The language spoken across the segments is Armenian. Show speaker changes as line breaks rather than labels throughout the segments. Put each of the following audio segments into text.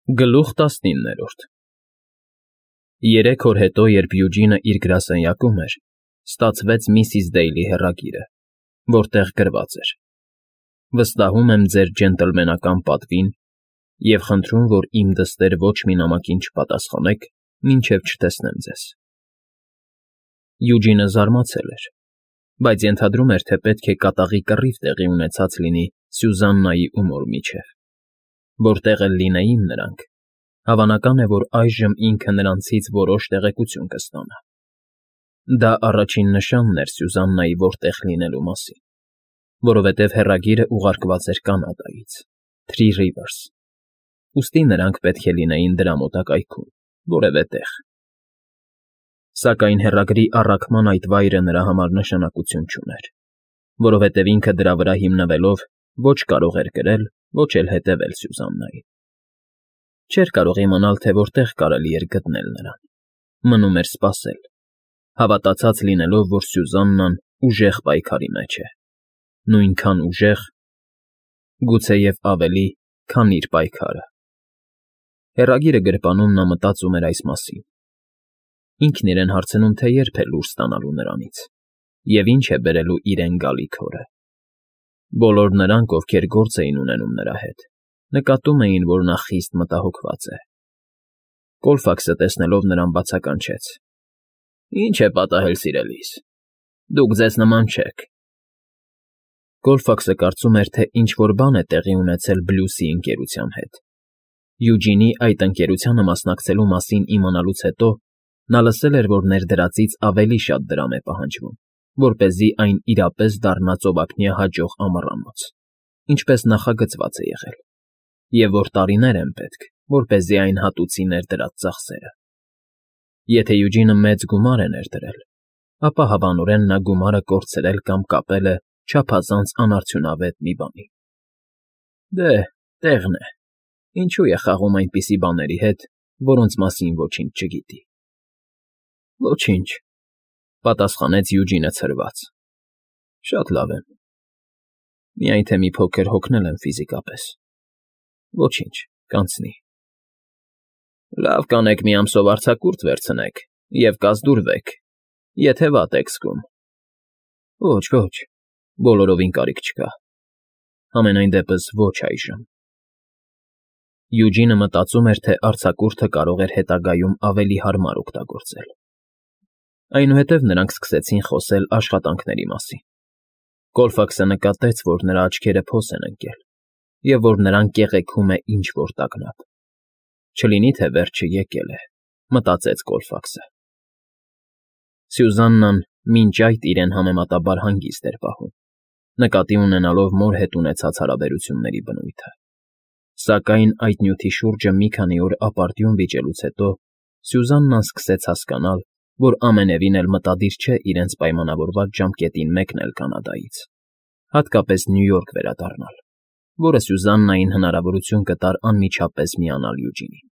Գլուխ 19 Երեք օր հետո, երբ Յուջինը իր գրասենյակում էր, ստացվեց միսիս Դեյլի հեռագիրը, որտեղ գրված էր. «Վստահում եմ ձեր ջենտլմենական պատվին և խնդրում, որ իմ դստեր ոչ մի նամակին չպատասխանեք, մինչև չտեսնեմ ձեզ»։ Յուջինը զարմացել էր, բայց ենթադրում էր, թե պետք է կատաղի կռիվ տեղի ունեցած լինի Սյուզաննայի ու Մոր միջև։ Որտեղ էլ լինեին նրանք, հավանական է, որ այժմ ինքը նրանցից որոշ տեղեկություն կստանա։ Դա առաջին նշանն էր Սյուզաննայի որտեղ լինելու մասին, որովհետև հեռագիրը ուղարկված էր Կանադայից, Թրի Ռիվերս, ուստի նրանք պետք է լինեին դրա մոտակայքում, որևէ տեղ։ Սակայն հեռագրի առաքման այդ վայրը նրա համար նշանակություն չուներ, որովհետև ինքը դրա վրա հիմնվելով ոչ կարող էր գրել, ոչ էլ հետևել Սյուզաննային։ Չէր կարող իմանալ, թե որտեղ կարելի էր գտնել նրան։ Մնում էր սպասել, հավատացած լինելով, որ Սյուզաննան ուժեղ պայքարի մեջ է, նույնքան ուժեղ, գուցեև ավելի, քան իր պայքարը։ Հեռագիրը գրպանում նա մտածում էր այս մասին։ Ինքն իրեն հարցնում, թե երբ է լուր ստանալու նրանից, և ինչ է բերելու իրեն գալիք օրը։ Բոլոր նրանք, ովքեր գործ էին ունենում նրա հետ, նկատում էին, որ նա խիստ մտահոգված է։ Կոլֆաքսը տեսնելով նրան բացականչեց. «Ինչ է պատահել, սիրելիս, դուք ձեզ նման չեք»։ Կոլֆաքսը կարծում էր, թե ինչ֊որ բան է տեղի ունեցել Բլյուսի ընկերության հետ։ Յուջինի այդ ընկերությանը մասնակցելու մասին իմանալուց հետո նա լսել էր, որ ներդրածից ավելի շատ դրամ է պահանջվում, որպեսզի այն իրապես դառնա ծովափնյա հաջող ամառանոց, ինչպես նախագծված է եղել, և որ տարիներ են պետք, որպեսզի այն հատուցի ներդրած ծախսերը։ Եթե Յուջինը մեծ գումար է ներդրել, ապա հավանորեն նա գումարը կորցրել կամ կապել է չափազանց անարդյունավետ մի բանի։ Դե, տեղն է, ինչու է խաղում այնպիսի բաների հետ, որոնց մասին ոչինչ չգիտի։ Ոչինչ, պատասխանեց Յուջինը ցրված։ Շատ լավ եմ։ Միայն թե մի փոքր հոգնել եմ ֆիզիկապես։ Ոչինչ, կանցնի։ Լավ կանեք մի ամսով արձակուրդ վերցնեք և կազդուրվեք, եթե վատ եք զգում։ Ոչ, բոլորովին կարիք չկա։ Համենայն դեպս ոչ այժմ։ Յուջինը մտածում էր, թե արձակուրդը կարող էր հետագայում ավելի հարմար օգտագործել։ Այնուհետև նրանք սկսեցին խոսել աշխատանքների մասին։ Կոլֆաքսը նկատեց, որ նրա աչքերը փոս են ընկել, և որ նրան կեղեքում է ինչ֊որ տագնապ։ Չլինի թե վերջը եկել է, մտածեց Կոլֆաքսը։ Սյուզաննան մինչ այդ իրեն համեմատաբար հանգիստ էր պահում, նկատի ունենալով Մոր հետ ունեցած հարաբերությունների բնույթը։ Սակայն այդ նյութի շուրջը մի քանի օր ապարդյուն վիճելուց հետո Սյուզաննան սկսեց հասկանալ, որ ամենևին էլ մտադիր չէ իրենց պայմանավորված ժամկետին մեկնել Կանադայից, հատկապես Նյու Յորք վերադառնալ, որը Սյուզաննային հնարավորություն կտար անմիջապես միանալ Յուջինին։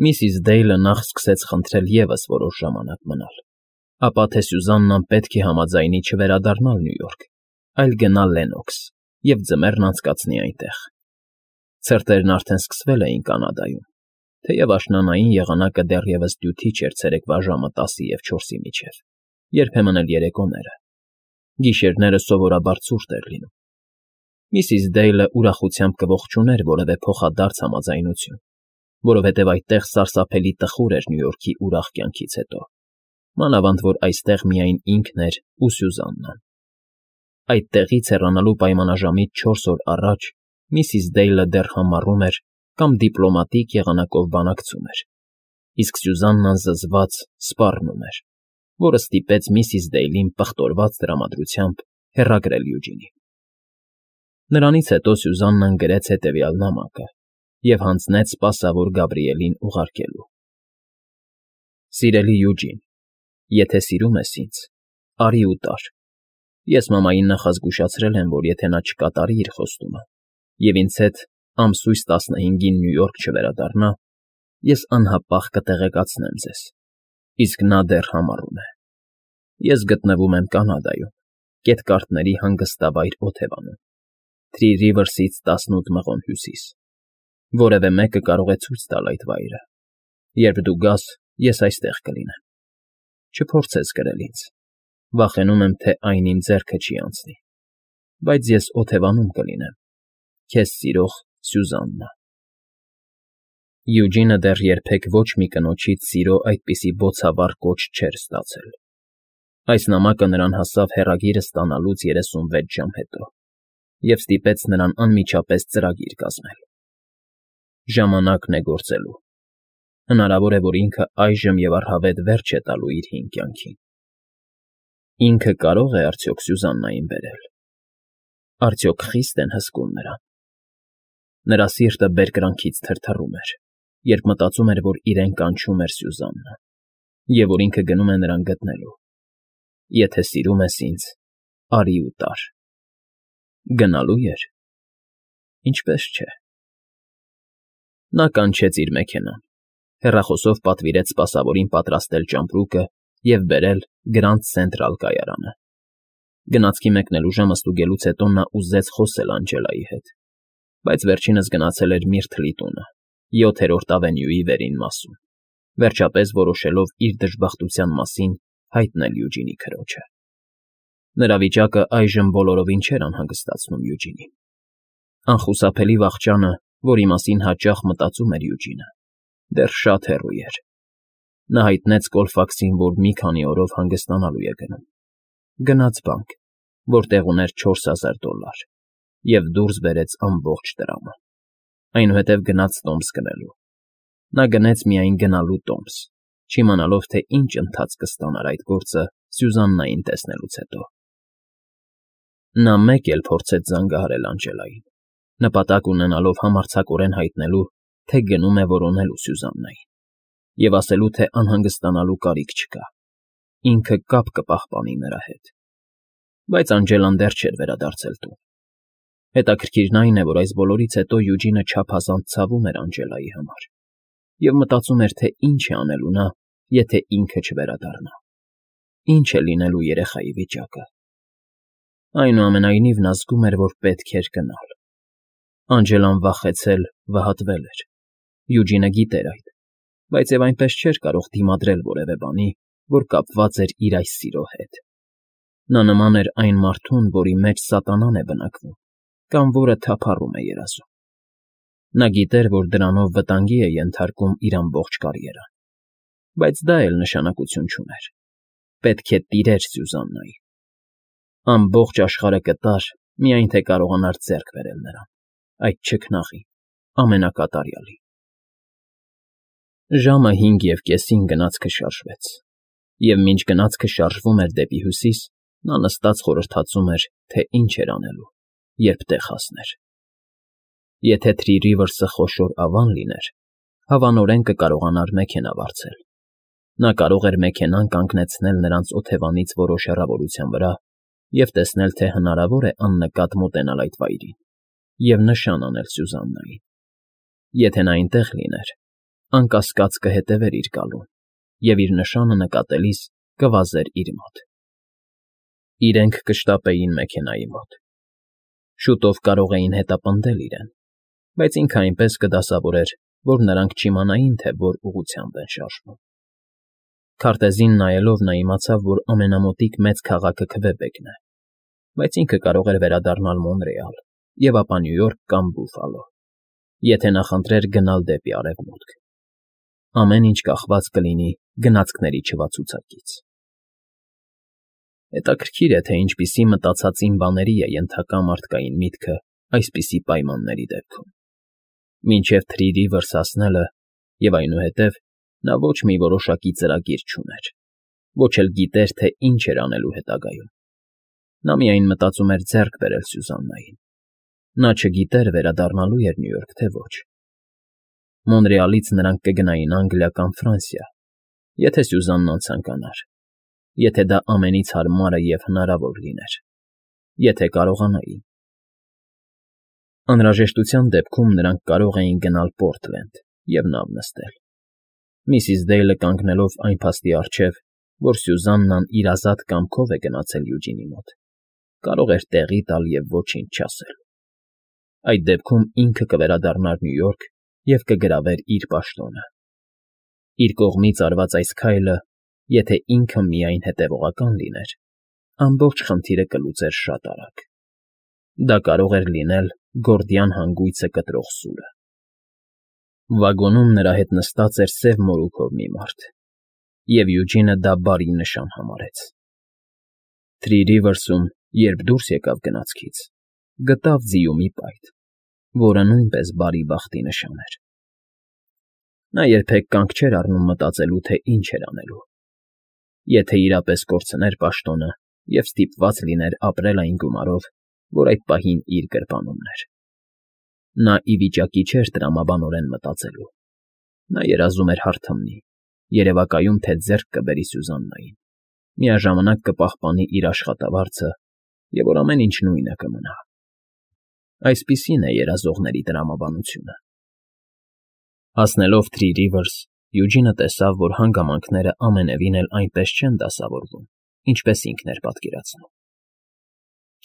Միսիս Դեյլը նախ սկսեց խնդրել ևս որոշ ժամանակ մնալ, ապա թե Սյուզաննան պետք է համաձայնի չվերադառնալ Նյու Յորք, այլ գնա Լեննոքս և ձմեռն անցկացնի այնտեղ։ Ցրտերն արդեն սկսվել էին Կանադայում, թեև աշնանային եղանակը դեռևս դյութիչ էր ցերեկվա ժամը 10-4-ի միջև, երբեմն էլ երեկոները։ Գիշերները սովորաբար ցուրտ էր լինում։ Միսիս Դեյլը ուրախությամբ կողջուներ որևէ փոխադարձ համաձայնություն, որովհետև այդտեղ սարսափելի տխուր էր Նյու Յորքի ուրախ կյանքից հետո, մանավանդ որ այստեղ միայն ինքն էր ու Սյուզաննան։ Այդտեղից հեռանալու պայմանաժամից 4 օր առաջ միսիս Դեյլը դեռ համառում էր կամ դիպլոմատիկ եղանակով բանակցում էր, իսկ Սյուզաննան զզված սպառնում էր, որը ստիպեց միսիս Դեյլին պղտորված տրամադրությամբ հեռագրել Յուջինին։ Նրանից հետո Սյուզաննան գրեց հետևյալ նամակը և հանձնեց սպասավոր Գաբրիելին ուղարկելու. Սիրելի Յուջին, եթե սիրում ես ինձ, արի ու տար։ Ես մամային նախազգուշացրել եմ, որ եթե նա չկատարի իր խոստումը և ինձ հետ ամսույս 15-ին Նյու Յորք չվերադառնա, ես անհապաղ կտեղեկացնեմ ձեզ, իսկ նա դեռ համառում է։ Ես գտնվում եմ Կանադայում, Կետկարթների հանգստավայր Օթևանում, Թրի Ռիվերսից 18 մղոն հյուսիս։ Որևէ մեկը կարող է ցույց տալ այդ վայրը։ Երբ դու գաս, ես այստեղ կլինեմ։ Չփորձես գրել ինձ։ Վախենում եմ, թե այն իմ ձեռքը չի անցնի, բայց ես օթևանում կլինեմ։ Քեզ սիրող Սյուզաննա։ Յուջինը դեռ երբեք ոչ մի կնոջից սիրո այդպիսի բոցավառ կոչ չէր ստացել։ Այս նամակը նրան հասավ հեռագիրը ստանալուց 36 ժամ հետո և ստիպեց նրան անմիջապես ծրագիր կազմել։ Ժամանակն է գործելու։ Հնարավոր է, որ ինքը այժմ և առհավետ վերջ է տալու իր հին կյանքին։ Ինքը կարո՞ղ է արդյոք Սյուզաննային բերել։ Արդյոք խի՞ստ են հսկում նրան։ Նրա սիրտը բերկրանքից թրթռում էր, երբ մտածում էր, որ իրեն կանչում էր Սյուզաննա, և որ ինքը գնում է նրան գտնելու։ Եթե սիրում ես ինձ, արի ու տար։ Գնալու էր։ Ինչպես չէ։ Նա կանչեց իր մեքենան, հեռախոսով պատվիրեց սպասավորին պատրաստել ճամպրուկը և բերել Գրանդ Սենտրալ կայարանը։ Գնացքի մեկնելու ժամը ստուգելուց հետո նա ուզեց խոսել Անջելայի հետ, բայց վերջինս գնացել էր Միրթլի տունը, 7-րդ ավենյուի վերին մասում, վերջապես որոշելով իր դժբախտության մասին հայտնել Յուջինի քրոջը։ Նրա վիճակը այժմ բոլորովին չէր անհանգստացնում Յուջինին։ Անխուսափելի վախճանը, որի մասին հաճախ մտածում էր Յուջինը, դեռ շատ հեռու էր։ Նա հայտնեց Կոլֆաքսին, որ մի քանի օրով հանգստանալու է գնում։ Գնաց բանկ, որտեղ ուներ $4000 և դուրս բերեց ամբողջ տրամը։ Այնուհետև գնաց տոմս գնելու։ Նա գնեց միայն գնալու տոմս, չիմանալով, թե ինչ ընթացք կստանար այդ գործը Սյուզաննային տեսնելուց հետո։ Նա մեկ էլ փորձեց զանգահարել Անջելային, նպատակ ունենալով համարձակորեն հայտնելու, թե գնում է որոնելու Սյուզաննային, և ասելու, թե անհանգստանալու կարիք չկա։ Ինքը կապ կպահպանի նրա հետ։ Բայց Անջելան դեռ չէր վերադարձել տուն։ Հետաքրքիրն այն է, որ այս բոլորից հետո Յուջինը չափազանց ցավում էր Անջելայի համար և մտածում էր, թե ինչ է անելու նա, եթե ինքը չվերադառնա։ Ինչ է լինելու երեխայի վիճակը։ Այնուամենայնիվ նա զգում էր, որ պետք էր գնալ։ Անջելան վախեցել, վհատվել էր։ Յուջինը գիտեր այդ, բայց և այնպես չէր կարող դիմադրել որևէ բանի, որ կապված էր իր այս սիրո հետ։ Նա նման էր այն մարդուն, որի մեջ սատանան է բնակվում, կամ որը թափառում է երազում։ Նա գիտեր, որ դրանով վտանգի է ենթարկում իր ամբողջ կարիերան, բայց դա էլ նշանակություն չուներ։ Պետք է տիրեր Սյուզաննային։ Ամբողջ աշխարհը կտար, միայն թե կարողանար ձեռք բերել նրան, այդ չքնաղին, ամենակատարյալին։ Ժամը 5:30 գնացքը շարժվեց, և մինչ գնացքը շարժվում էր դեպի հյուսիս, նա նստած խորհրդածում էր, թե ինչ էր անելու, երբ տեղ հասներ։ Եթե Թրի Ռիվըրսը խոշոր ավան լիներ, հավանորեն կկարողանար մեքենա վարձել։ Նա կարող էր մեքենան կանգնեցնել նրանց օթևանից որոշ հեռավորության վրա և տեսնել, թե հնարավոր է աննկատ մոտենալ այդ վայրին և նշան անել Սյուզաննային։ Եթե նա այնտեղ լիներ, անկասկած կհետևեր իր գալուն և իր նշանը նկատելիս կվազեր իր մոտ։ Իրենք կշտապեին մեքենայի մոտ։ Շուտով կարող էին հետապնդել իրեն, բայց ինքը այնպես կդասավորեր, որ նրանք չիմանային, թե որ ուղղությամբ են շարժվում։ Քարտեզին նայելով նա իմացավ, որ ամենամոտիկ մեծ քաղաքը Քվեբեկն է, բայց ինքը կարող էր վերադառնալ Մոնրեալ և ապա Նյու Յորք կամ Բուֆալո, եթե նախընտրեր գնալ դեպի արևմուտք։ Ամեն ինչ կախված կլինի գնացքների չվացուցակից։ Հետաքրքիր է, թե ինչպիսի մտածածին բաների է ենթակա մարդկային միտքը այսպիսի պայմանների դեպքում։ Մինչև Թրի Ռիվըրս հասնելը և այնուհետև նա ոչ մի որոշակի ծրագիր չուներ, ոչ էլ գիտեր, թե ինչ էր անելու հետագայում։ Նա միայն մտածում էր ձեռք բերել Սյուզաննային։ Նա չգիտեր վերադառնալու էր Նյու Յորք, թե ոչ։ Մոնրեալից նրանք կգնային Անգլիա կամ Ֆրանսիա, եթե Սյուզաննան ցանկանար, եթե դա ամենից հարմարը և հնարավոր լիներ, եթե կարողանային։ Անհրաժեշտության դեպքում նրանք կարող էին գնալ Պորտլենդ և նավ նստել։ Միսիս Դեյլը կանգնելով այն փաստի առջև, որ Սյուզաննան իր ազատ կամքով է գնացել Յուջինի մոտ, կարող էր տեղի տալ և ոչինչ չասել։ Այդ դեպքում ինքը կվերադառնար Նյու Յորք և կգրավեր իր պաշտոնը։ Իր կողմից արված այս քայլը, եթե ինքը միայն հետևողական լիներ, ամբողջ խնդիրը կլուծեր շատ արագ։ Դա կարող էր լինել Գորդիան հանգույցը կտրող սուրը։ Վագոնում նրա հետ նստած էր սև մորուքով մի մարդ, և Յուջինը դա բարի նշան համարեց։ Թրի Ռիվերսում, երբ դուրս եկավ գնացքից, գտավ ձիու մի պայթ, որը նույնպես բարի բախտի նշան էր։ Նա երբեք կանգ չէր առնում մտածելու, թե ինչ էր անելու։ Եթե իրապես կորցներ պաշտոնը և ստիպված լիներ ապրել այն գումարով, որ այդ պահին իր գրպանումն էր։ Նա ի վիճակի չէր տրամաբանորեն մտածելու։ Նա երազում էր հարթմնի, երևակայում, թե ձեռք կբերի Սյուզաննային, միաժամանակ կպահպանի իր աշխատավարձը և որ ամեն ինչ նույնը կմնա։ Այսպիսին է երազողների տրամաբանությունը։ Հասնելով Թրի Ռիվերս, Յուջինը տեսավ, որ հանգամանքները ամենևին էլ այնպես չեն դասավորվում, ինչպես ինքն էր պատկերացնում։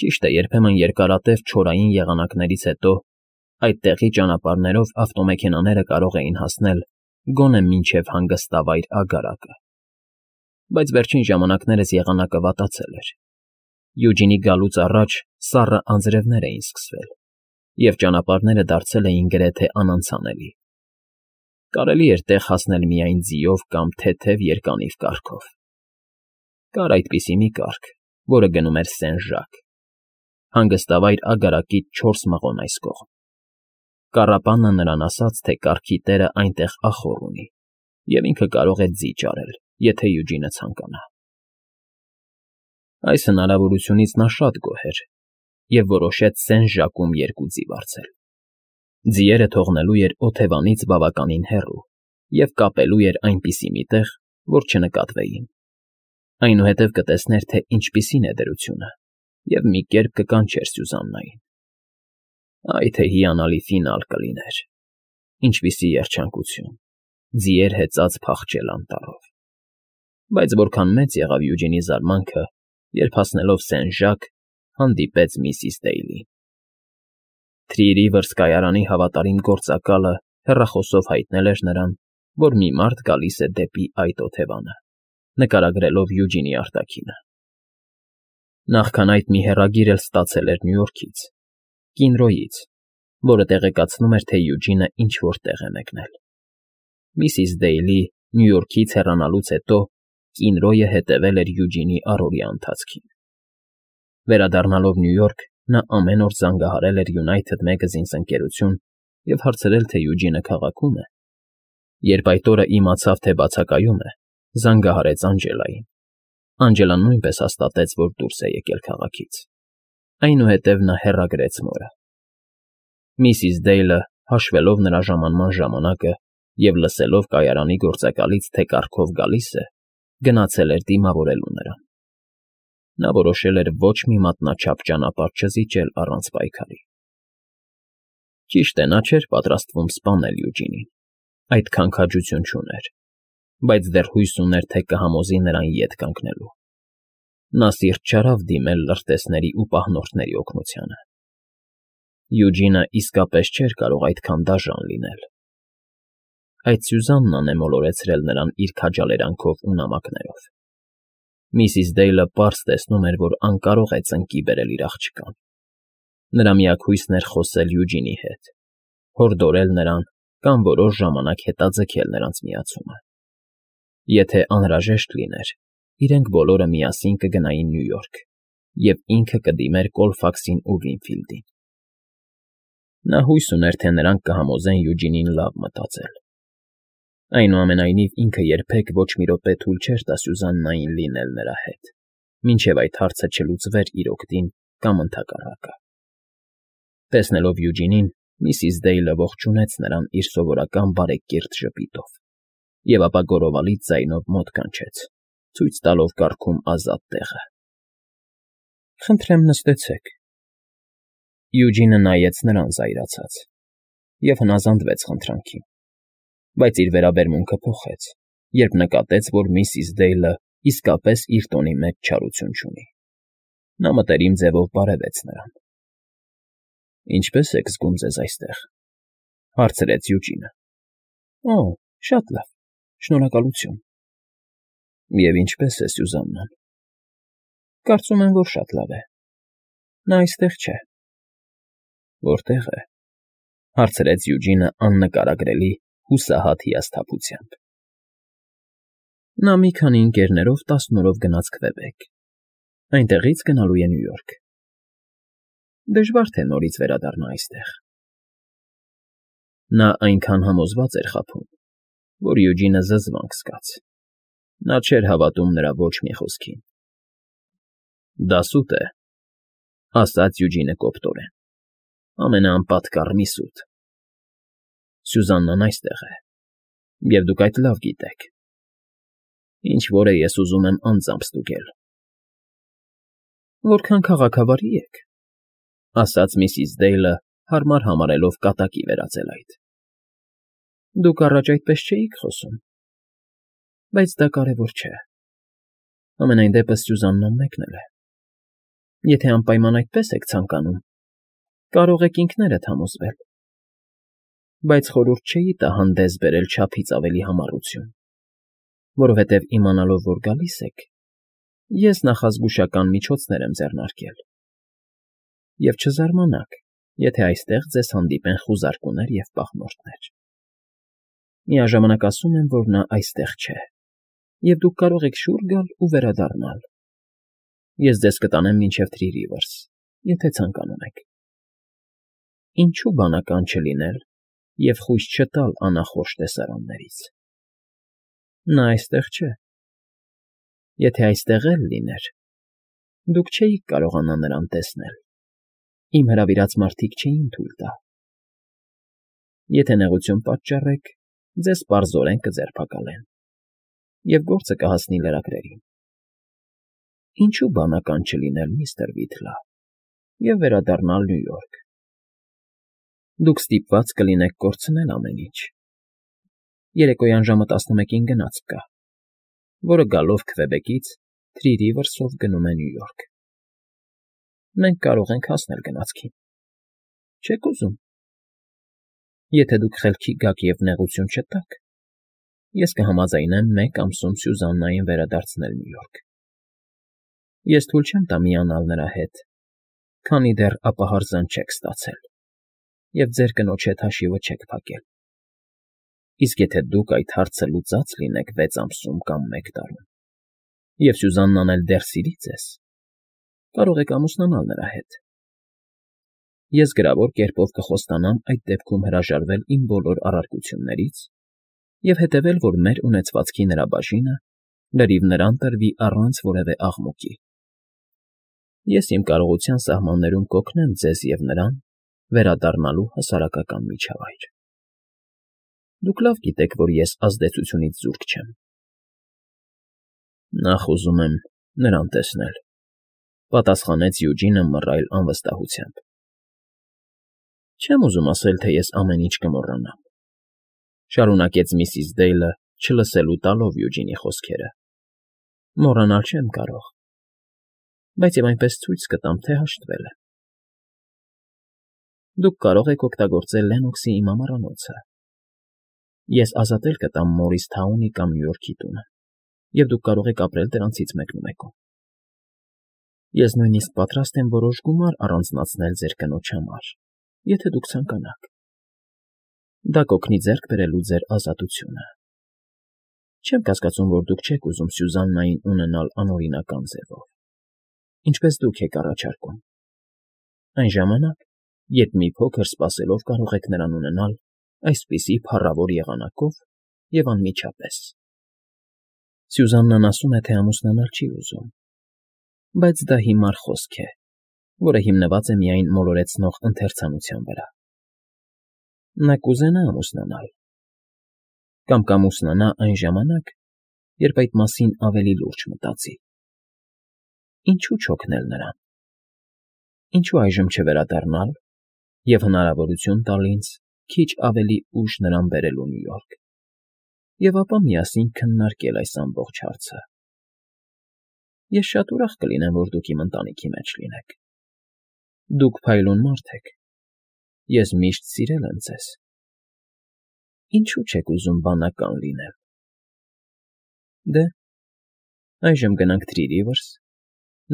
Ճիշտ է, երբեմն երկարատև չորային եղանակներից հետո այդտեղի ճանապարհներով ավտոմեքենաները կարող էին հասնել գոնե մինչև հանգստավայր Ագարակը։ Բայց վերջին ժամանակներս եղանակը վատացել էր։ Յուջինի գալուց առաջ սառը անձրևներ էին սկսվել, և ճանապարհները դարձել էին գրեթե անանցանելի։ Կարելի էր տեղ հասնել միայն ձիով կամ թեթև երկանիվ կառքով։ Կար այդպիսի մի կառք, որը գնում էր Սեն֊Ժակ, հանգստավայր Ագարակից 4 մղոն այս կողմ։ Կառապանը նրան ասաց, թե կառքի տերը այնտեղ ախոռ ունի, և ինքը կարող է ձի ճարել, եթե Յուջինը ցանկանա։ Այս հնարավորությունից նա շատ գոհ էր և որոշեց Սեն֊Ժակում 2 ձի վարձել։ Ձիերը թողնելու էր օթևանից բավականին հեռու և կապելու էր այնպիսի մի տեղ, որ չնկատվեին։ Այնուհետև կտեսներ, թե ինչպիսին է դրությունը, և մի կերպ կկանչեր Սյուզաննային։ Այ թե հիանալի ֆինալ կլիներ։ Ինչպիսի երջանկություն, ձիեր հեծած փախչել անտառով։ Բայց որքան մեծ եղավ Յուջինի զարմանքը, երբ հասնելով Սեն֊Ժակ հանդիպեց միսիս Դեյլին։ Թրի Ռիվերս կայարանի հավատարիմ գործակալը հեռախոսով հայտնել էր նրան, որ մի մարդ գալիս է դեպի այդ օթևանը, նկարագրելով Յուջինի արտաքինը։ Նախքան այդ մի հեռագիր էլ ստացել էր Նյու Յորքից, Կինրոյից, որը տեղեկացնում էր, թե Յուջինը ինչ֊որ տեղ է մեկնել։ Միսիս Դեյլի Նյու Յորքից հեռանալուց հետո Կինրոյը հետևել էր Յուջինի առօրյա ընթացքին։ Վերադառնալով Նյու Յորք, նա ամեն օր զանգահարել էր United Magazines ընկերություն և հարցրել, թե Յուջինը քաղաքում է։ Երբ այդ օրը իմացավ, թե բացակայում է, զանգահարեց Անջելային։ Անջելան նույնպես հաստատեց, որ դուրս է եկել քաղաքից։ Այնուհետև նա հեռագրեց մորը։ Միսիս Դեյլը, հաշվելով նրա ժամանման ժամանակը և լսելով կայարանի գործակալից, թե կառքով գալիս է, գնացել էր դիմավորելու նրան։ Նա որոշել էր ոչ մի մատնաչափ ճանապարհ չզիջել առանց պայքարի։ Ճիշտ է, նա չէր պատրաստվում սպանել Յուջինին, այդքան քաջություն չուներ, բայց դեռ հույս ուներ, թե կհամոզի նրան ետ կանգնելու։ Նա սիրտ չարավ դիմել լրտեսների ու պահնորդների օգնությանը։ Յուջինը իսկապես չէր կարող այդքան դաժան լինել։ Այդ Սյուզաննան է մոլորեցրել նրան իր քաջալերանքով ու նամակներով։ Միսիս Դեյլը պարզ տեսնում էր, որ անկարող է ծնկի բերել իր աղջկան։ Նրա միակ հույսն էր խոսել Յուջինի հետ, հորդորել նրան կամ որոշ ժամանակ հետաձգել նրանց միացումը։ Եթե անհրաժեշտ լիներ, իրենք բոլորը միասին կգնային Նյու Յորք, և ինքը կդիմեր Կոլֆաքսին ու Վինֆիլդին։ Նա հույս ուներ, թե նրանք կհամոզեն Յուջինին լավ մտածել։ Այնուամենայնիվ ինքը երբեք ոչ մի րոպե թույլ չէր տա Սյուզաննային լինել նրա հետ, մինչև այդ հարցը չլուծվեր իր օգտին կամ ընդհակառակը։ Տեսնելով Յուջինին, միսիս Դեյլը ողջունեց նրան իր սովորական բարեկիրթ ժպիտով և ապա գոռովալից ձայնով մոտ կանչեց, ցույց տալով կառքում ազատ տեղը։ Խնդրեմ նստեցեք։ Յուջինը նայեց նրան զայրացած և հնազանդվեց խնդրանքին, բայց իր վերաբերմունքը փոխեց, երբ նկատեց, որ միսիս Դեյլը իսկապես իր տոնի մեջ չարություն չունի։ Նա մտերիմ ձևով բարևեց նրան։ Ինչպե՞ս եք զգում ձեզ այստեղ։ Հարցրեց Յուջինը։ Օ, շատ լավ, շնորհակալություն։ Եվ ինչպե՞ս է Սյուզաննան։ Կարծում եմ, որ շատ լավ է։ Նա այստեղ չէ։ Որտե՞ղ է։ Հարցրեց Յուջինը աննկարագրելի հուսահատ հիասթափությամբ։ Նա մի քանի ընկերներով 10 օրով գնաց Քվեբեկ, այնտեղից գնալու է Նյու Յորք։ Դժվար թե նորից վերադառնա այստեղ։ Նա այնքան համոզված էր խաբում, որ Յուջինը զզվանք զգաց։ Նա չէր հավատում նրա ոչ մի խոսքին։ Դա սուտ է, ասաց Յուջինը կոպտորեն, ամենաանպատկառ մի սուտ։ Սյուզաննան այստեղ է, և դուք այդ լավ գիտեք։ Ինչ որ է ես ուզում եմ անձամբ ստուգել։ Որքան քաղաքավարի եք, ասաց միսիս Դեյլը, հարմար համարելով կատակի վերածել այդ։ Դուք առաջ այդպես չէիք խոսում, բայց դա կարևոր չէ։ Համենայն դեպս Սյուզաննան մեկն էլ է։ Եթե անպայման այդպես եք ցանկանում, կարող եք ինքներդ համոզվել։ Բայց խորհուրդ չէի տա հանդես բերել չափից ավելի համառություն, որովհետև իմանալով, որ գալիս եք, ես նախազգուշական միջոցներ եմ ձեռնարկել։ Եվ չզարմանաք, եթե այստեղ ձեզ հանդիպեն խուզարկուներ և պահնորդներ։ Միաժամանակ ասում եմ, որ նա այստեղ չէ, և դուք կարող եք շուռ գալ ու վերադառնալ։ Ես ձեզ կտանեմ մինչև Թրի Ռիվերս, եթե ցանկանում եք։ Ինչու բանական չլինել և խույս չտալ անախորժ տեսարաններից։ Նա այստեղ չէ։ Եթե այստեղ էլ լիներ, դուք չէիք կարողանա նրան տեսնել։ Իմ հրավիրած մարդիկ չէին թույլ տա։ Եթե նեղություն պատճառեք, ձեզ պարզորեն կձերբակալեն, և գործը կհասնի լրագրերին։ Ինչու բանական չլինել, միստր Վիթլա, և վերադառնալ Նյու Յորք։ Դուք ստիպված կլինեք կորցնել ամեն ինչ։ Երեկոյան ժամը 11-ին գնացք կա, որը գալով Քվեբեկից Թրի Ռիվերսով գնում է Նյու Յորք։ Մենք կարող ենք հասնել գնացքին։ Չե՞ք ուզում։ Եթե դուք խելքի գաք և նեղություն չտաք, ես կհամաձայնեմ 1 ամսում Սյուզաննային վերադարձնել Նյու Յորք։ Ես թույլ չեմ տա միանալ նրա հետ, քանի դեռ ապահարզան չեք ստացել, և ձեր կնոջ հետ հաշիվը չեք փակել։ Իսկ եթե դուք այդ հարցը լուծած լինեք 6 ամսում կամ 1 տարում, և Սյուզաննան էլ դեռ սիրի ձեզ, կարող եք ամուսնանալ նրա հետ։ Ես գրավոր կերպով կխոստանամ այդ դեպքում հրաժարվել իմ բոլոր առարկություններից և հետևել, որ մեր ունեցվածքի նրա բաժինը լրիվ նրան տրվի առանց որևէ աղմուկի։ Ես իմ կարողության սահմաններում կօգնեմ ձեզ և նրան վերադառնալու հասարակական միջավայր։ Դուք լավ գիտեք, որ ես ազդեցությունից զուրկ չեմ։ Նախ ուզում եմ նրան տեսնել, պատասխանեց Յուջինը մռայլ անվստահությամբ։ Չեմ ուզում ասել, թե ես ամեն ինչ կմոռանամ, շարունակեց միսիս Դեյլը, չլսելու տալով Յուջինի խոսքերը։ Մոռանալ չեմ կարող, բայց և այնպես ցույց կտամ, թե հաշտվել եմ։ Դուք կարող եք օգտագործել Լեննոքսի իմ ամառանոցը։ Ես ազատել կտամ Մորիսթաունի կամ Նյու Յորքի տունը, և դուք կարող եք ապրել դրանցից մեկնումեկում։ Ես նույնիսկ պատրաստ եմ որոշ գումար առանձնացնել ձեր կնոջ համար, եթե դուք ցանկանաք։ Դա կօգնի ձեռք բերելու ձեր ազատությունը։ Չեմ կասկածում, որ դուք չեք ուզում Սյուզաննային ունենալ անօրինական ձևով, ինչպես դուք եք առաջարկում։ Այն ժամանակ, երբ մի փոքր սպասելով կարող եք նրան ունենալ այսպիսի փառավոր եղանակով և անմիջապես։ Սյուզաննան ասում է, թե ամուսնանալ չի ուզում, բայց դա հիմար խոսք է, որը հիմնված է միայն մոլորեցնող ընթերցանության վրա։ Նա կուզենա ամուսնանալ, կամ կամուսնանա այն ժամանակ, երբ այդ մասին ավելի լուրջ մտածի։ Ինչու չօգնել նրան։ Ինչու այժմ չվերադառնալ և հնարավորություն տալ ինձ քիչ ավելի ուշ նրան բերելու Նյու Յորք, և ապա միասին քննարկել այս ամբողջ հարցը։ Ես շատ ուրախ կլինեմ, որ դուք իմ ընտանիքի մեջ լինեք։ Դուք փայլուն մարդ եք։ Ես միշտ սիրել եմ ձեզ Ինչու՞ չեք ուզում բանական լինել։ Դե, այժմ գնանք Թրիրիվերս,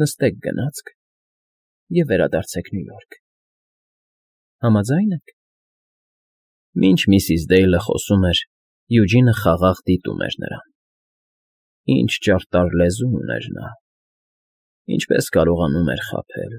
նստեք գնացք և վերադարձեք Նյու Յորք։ Համաձա՞յն եք։ Մինչ միսիս Դեյլը խոսում էր, Յուջինը խաղաղ դիտում էր նրան. ինչ ճարտար լեզու ուներ նա, ինչպես կարողանում էր խաբել։